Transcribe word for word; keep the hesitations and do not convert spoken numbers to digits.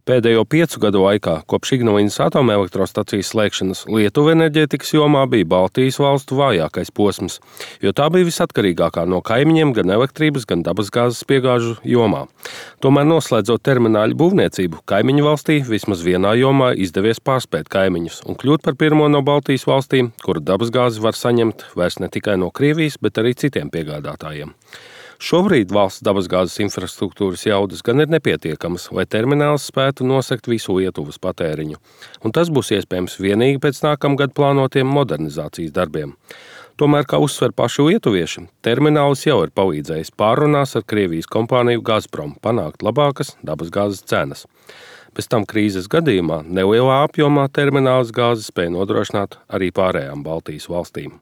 Pēdējo piecu gadu laikā, kopš Ignalinnas atomelektrostacijas slēgšanas, Lietuva enerģētikas jomā bija Baltijas valstu vājākais posms, jo tā bija visatkarīgākā no kaimiņiem gan elektrības, gan dabasgāzes piegāžu jomā. Tomēr, noslēdzot termināļu būvniecību, kaimiņu valstī vismaz vienā jomā izdevies pārspēt kaimiņus un kļūt par pirmo no Baltijas valstīm, kuru dabasgāzi var saņemt vairs ne tikai no Krievijas, bet arī citiem piegādātājiem. Šobrīd valsts dabasgāzes infrastruktūras jaudas gan ir nepietiekamas, lai termināls spētu nosegt visu Lietuvas patēriņu, un tas būs iespējams vienīgi pēc nākamgad plānotiem modernizācijas darbiem. Tomēr, kā uzsver paši lietuvieši, terminālis jau ir palīdzējis pārrunās ar Krievijas kompāniju Gazprom panākt labākas dabasgāzes cenas. Bez tam krīzes gadījumā nelielā apjomā termināls gāzi spēja nodrošināt arī pārējām Baltijas valstīm.